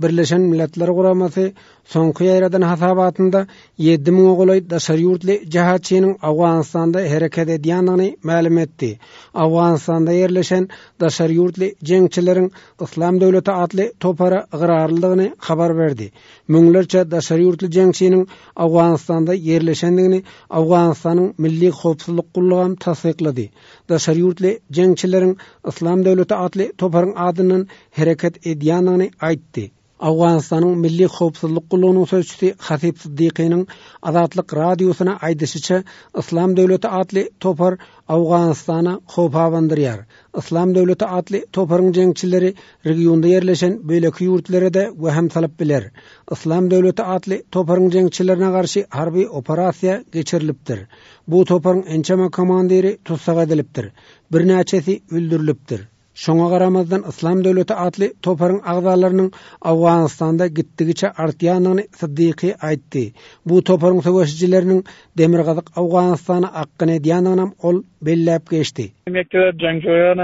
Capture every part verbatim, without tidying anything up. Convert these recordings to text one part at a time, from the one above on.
Birleşen Milletler Guramasy soňky ýaýradan hasabatynda ýedi müňe golaý daşary ýurtly jihatçynyň Owganystanda hereket edýändigini mälim etdi. Owganystanda ýerleşen daşary ýurtly jeňçileriň Yslam döwleti atly topara ygrarlydygyny habar berdi. Müňlerçe daşary ýurtly jeňçiniň Owganystanda ýerleşendigini Owganystanyň Milli howpsuzlyk gullugam tassyklady. Daşary ýurtly jeňçileriň Yslam döwleti atly toparyň adyndan hereket edýändigini aýtdy. Owganystanyň Milli howpsuzlyk gullugynyň sözçüsi Hasip Siddikynyň Azatlyk Radiosyna aýdyşyça, Yslam döwleti atly topar Owganystana howp abandyrýar. Yslam döwleti atly toparyň jeňçileri regionda ýerleşen beýleki ýurtlara-da wehim salyp biler. Yslam döwleti atly toparyň jeňçilerine garşy harby operasiýa geçirilipdir. Bu toparyň ençeme komandiri tussag edilipdir. Birnäçesi öldürilipdir. Şoňa garamazdan Yslam döwleti atly toparyň agzalarynyň Owganystanda gitdigiçe artýandygyny Siddiky aýtdy. Bu toparyň söweşijileriniň Demirgazyk Owganystana akgyn edýändiginem ol belläp geçdi. یک تعداد جنگجویان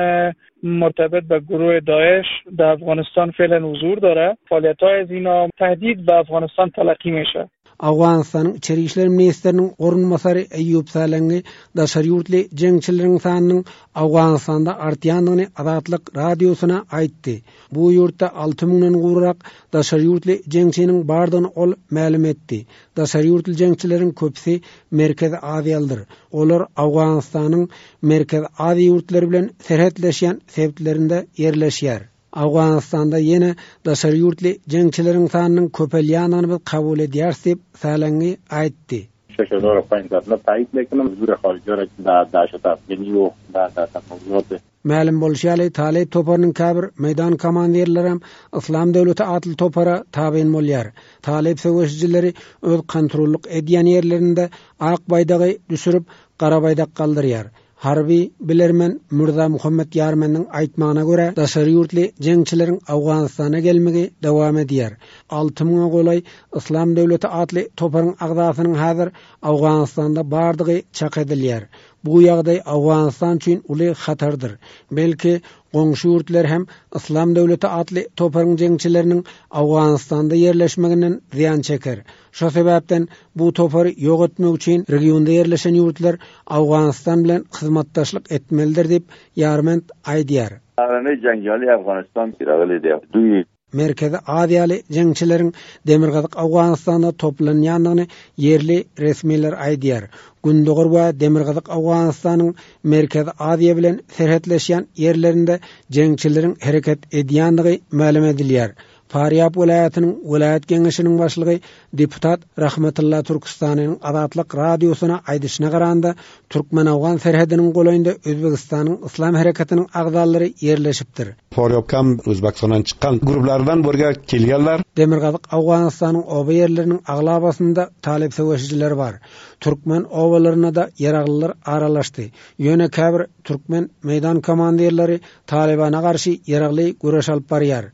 مرتبط به گروه داعش در افغانستان فعلا حضور داره. فعالیت‌های از اینا تهدید به افغانستان تلقی میشه. Owganystanyň Içeri işler ministriniň orunbasary Eýýup Salengi daşary ýurtly jeňçileriň sanynyň Owganystanda artýandygyny Azatlyk Radiosyna aýtdy. Bu ýurtda alty müňden gowrak daşary ýurtly jeňçiniň bardygyny ol mälim etdi. Daşary ýurtly jeňçileriň köpüsi Merkezi Aziýalydyr. Olar Owganystanyň Merkezi Aziýa ýurtlary bilen serhetleşýän sebitlerinde ýerleşýär. Owganystanda ýene daşary ýurtly jeňçileriň sanynyň köpelýändigini biz kabul edýäris diýip Salengi aýtdy. شش هزار و پنجصد نه تایید میکنم حضور خارجی را در دهشت افغانی و در در موضوعات. Mälim bolşy ýaly, Talyp toparynyň käbir meýdan komandirleri hem Yslam döwleti atly topara tabyn bolýar. Talyp söweşijileri öz kontrollyk edýän ýerlerinde ak baýdagy düşürip, gara baýdak galdyrýar. Harby bilermen Mürza Muhammed Ýarmeniň aýtmagyna görä, daşary ýurtly jeňçileriň Owganystana gelmegi dowam edýär. Alty müňe golaý Yslam döwleti atly toparyň agzasynyň häzir Owganystanda bardygy çak edilýär. Bu ýagdaý Owganystan üçin uly hatardyr. Belki goňşy ýurtlar hem Yslam döwleti atly toparyň jeňçileriniň Owganystanda ýerleşmeginden zyýan çeker. Şo sebäpden bu topary ýok etmek üçin regionda ýerleşen ýurtlar Owganystan bilen hyzmatdaşlyk etmelidir diýip Ýarment aýdýar. Arany jeňjali Afganistan kiraly diýip. Duý Merkezi Aziýaly jeňçileriň Demirgazyk Owganystanda toplanýandygyny ýerli resmiler aýdýar. Gündogar we Demirgazyk Owganystanyň Merkezi Aziýa bilen serhetleşýän ýerlerinde jeňçileriň hereket edýändigi mälim edilýär. Farýab welaýatynyň welaýat geňeşiniň başlygy deputat Rahmetulla Türkistanyň Azatlyk Radiosyna aýdyşyna garanda Türkmen-Awgan serhediniň golaýynda Özbegistanyň Yslam hereketiniň agzalary ýerleşipdir. Farýabkam Özbekistandan çykan gruplardan burga kelganlar. Demirgazyk Owganystanyň oba ýerleriniň aglabasynda talyp söweşijiler bar. Türkmen obalaryna da ýaraglylar aralaşdy. Ýöne käbir türkmen meýdan komandirleri Talibana garşy ýaragly göreş alyp barýar.